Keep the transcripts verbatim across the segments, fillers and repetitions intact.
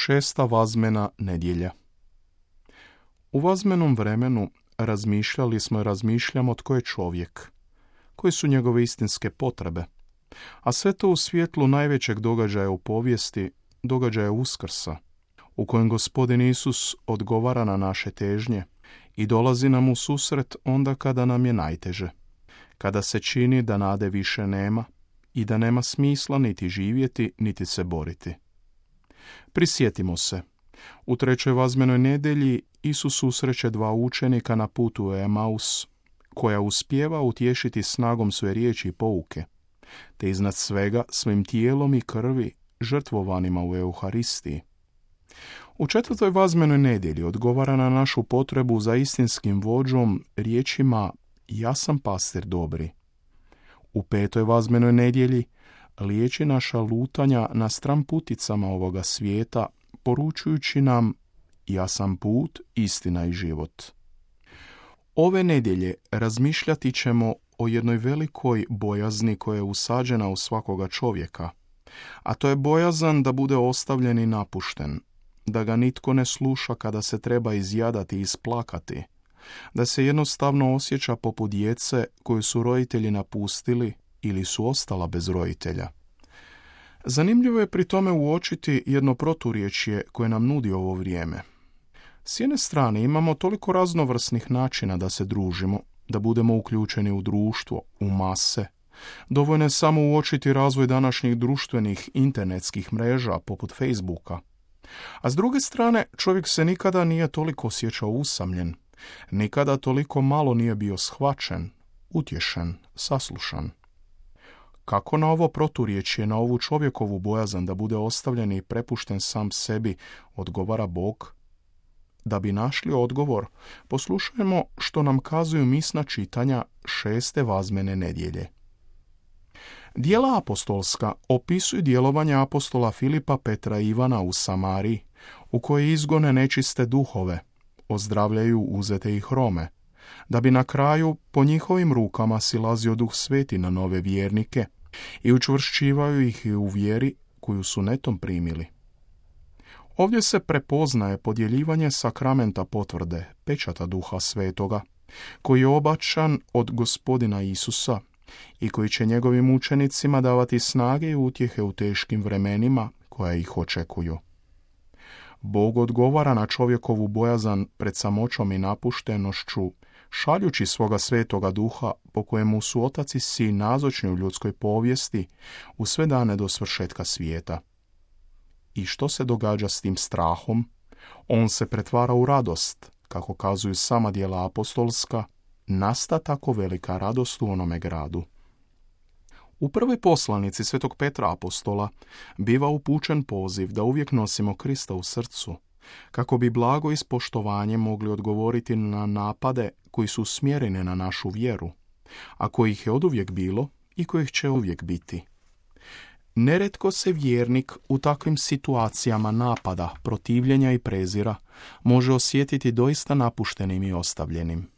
Šesta vazmena nedjelja. U vazmenom vremenu razmišljali smo i razmišljamo tko je čovjek, koje su njegove istinske potrebe, a sve to u svjetlu najvećeg događaja u povijesti, događaja Uskrsa, u kojem Gospodin Isus odgovara na naše težnje i dolazi nam u susret onda kada nam je najteže, kada se čini da nade više nema i da nema smisla niti živjeti, niti se boriti. Prisjetimo se, u trećoj vazmenoj nedjelji Isus susreće dva učenika na putu u Emaus, koja uspijeva utješiti snagom svoje riječi i pouke, te iznad svega svojim tijelom i krvi žrtvovanima u Euharistiji. U četvrtoj vazmenoj nedjelji odgovara na našu potrebu za istinskim vođom riječima ja sam pastir dobri. U petoj vazmenoj nedjelji liječi naša lutanja na stran puticama ovoga svijeta, poručujući nam ja sam put, istina i život. Ove nedjelje razmišljati ćemo o jednoj velikoj bojazni koja je usađena u svakoga čovjeka, a to je bojazan da bude ostavljen i napušten, da ga nitko ne sluša kada se treba izjadati i isplakati, da se jednostavno osjeća poput djece koju su roditelji napustili ili su ostala bez roditelja. Zanimljivo je pri tome uočiti jedno proturječje koje nam nudi ovo vrijeme. S jedne strane imamo toliko raznovrsnih načina da se družimo, da budemo uključeni u društvo, u mase. Dovoljno je samo uočiti razvoj današnjih društvenih internetskih mreža poput Facebooka. A s druge strane, čovjek se nikada nije toliko osjećao usamljen, nikada toliko malo nije bio shvaćen, utješen, saslušan. Kako na ovo proturječje, na ovu čovjekovu bojazan da bude ostavljen i prepušten sam sebi, odgovara Bog? Da bi našli odgovor, poslušajmo što nam kazuju misna čitanja šeste vazmene nedjelje. Djela apostolska opisuju djelovanje apostola Filipa, Petra i Ivana u Samariji, u kojoj izgone nečiste duhove, ozdravljaju uzete ih Rome, da bi na kraju po njihovim rukama silazio Duh Sveti na nove vjernike i učvršćivaju ih i u vjeri koju su netom primili. Ovdje se prepoznaje podjeljivanje sakramenta potvrde, pečata Duha Svetoga, koji je obačan od Gospodina Isusa i koji će njegovim učenicima davati snage i utjehe u teškim vremenima koja ih očekuju. Bog odgovara na čovjekovu bojazan pred samoćom i napuštenošću, šaljući svoga Svetoga Duha po kojemu su Otac i Sin nazočni u ljudskoj povijesti u sve dane do svršetka svijeta. I što se događa s tim strahom? On se pretvara u radost, kako kazuju sama djela apostolska, nasta tako velika radost u onome gradu. U prvoj poslanici Svetog Petra apostola biva upućen poziv da uvijek nosimo Krista u srcu, kako bi blago i s poštovanjem mogli odgovoriti na napade koji su usmjereni na našu vjeru, a kojih je oduvijek bilo i kojih će uvijek biti. Neretko se vjernik u takvim situacijama napada, protivljenja i prezira može osjetiti doista napuštenim i ostavljenim.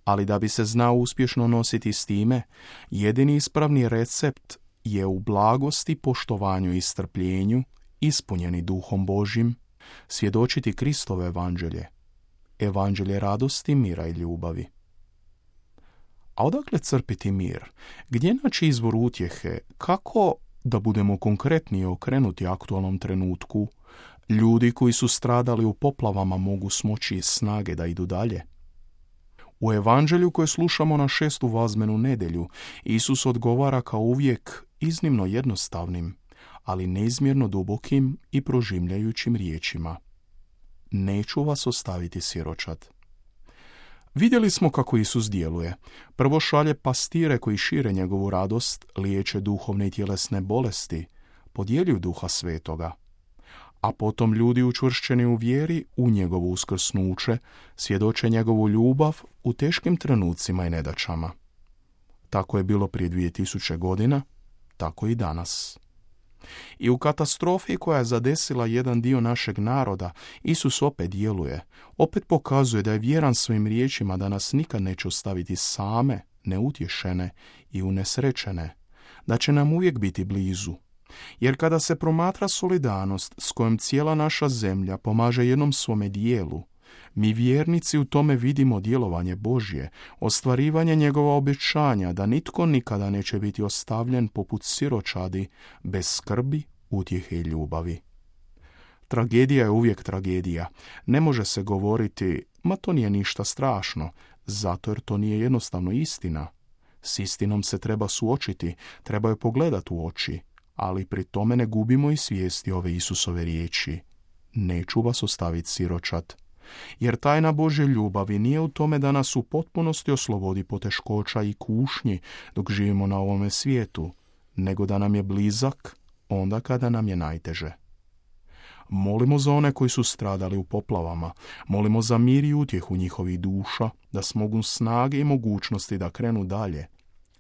Ali da bi se znao uspješno nositi s time, jedini ispravni recept je u blagosti, poštovanju i strpljenju, ispunjeni Duhom Božjim, svjedočiti Kristovo evanđelje, evanđelje radosti, mira i ljubavi. A odakle crpiti mir? Gdje naći izvor utjehe? Kako da budemo konkretni i okrenuti aktualnom trenutku? Ljudi koji su stradali u poplavama mogu smoći snage da idu dalje. U evanđelju koje slušamo na šestu vazmenu nedjelju, Isus odgovara kao uvijek iznimno jednostavnim, ali neizmjerno dubokim i prožimljajućim riječima. Neću vas ostaviti siročad. Vidjeli smo kako Isus djeluje. Prvo šalje pastire koji šire njegovu radost, liječe duhovne i tjelesne bolesti, podjeljuju Duha Svetoga. A potom ljudi učvršćeni u vjeri u njegovo uskrsnuće svjedoče njegovu ljubav u teškim trenucima i nedaćama. Tako je bilo prije dvije tisuće godina, tako i danas. I u katastrofi koja je zadesila jedan dio našeg naroda, Isus opet djeluje, opet pokazuje da je vjeran svojim riječima da nas nikad neće ostaviti same, neutješene i unesrećene, da će nam uvijek biti blizu, Jer kada se promatra solidarnost s kojom cijela naša zemlja pomaže jednom svome dijelu, mi vjernici u tome vidimo djelovanje Božje, ostvarivanje njegova obećanja da nitko nikada neće biti ostavljen poput siročadi, bez skrbi, utjehe i ljubavi. Tragedija je uvijek tragedija. Ne može se govoriti, ma to nije ništa strašno, zato jer to nije jednostavno istina. S istinom se treba suočiti, treba je pogledati u oči, ali pri tome ne gubimo i svijesti ove Isusove riječi. Neću vas ostaviti siročad. Jer tajna Božje ljubavi nije u tome da nas u potpunosti oslobodi poteškoća i kušnji dok živimo na ovome svijetu, nego da nam je blizak onda kada nam je najteže. Molimo za one koji su stradali u poplavama, molimo za mir i utjehu njihovih duša, da smogu snage i mogućnosti da krenu dalje.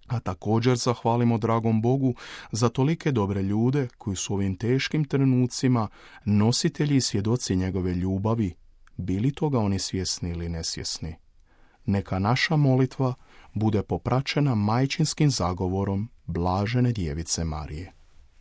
A također zahvalimo dragom Bogu za tolike dobre ljude koji su u ovim teškim trenucima nositelji i svjedoci njegove ljubavi, bili toga oni svjesni ili nesvjesni. Neka naša molitva bude popraćena majčinskim zagovorom blažene djevice Marije.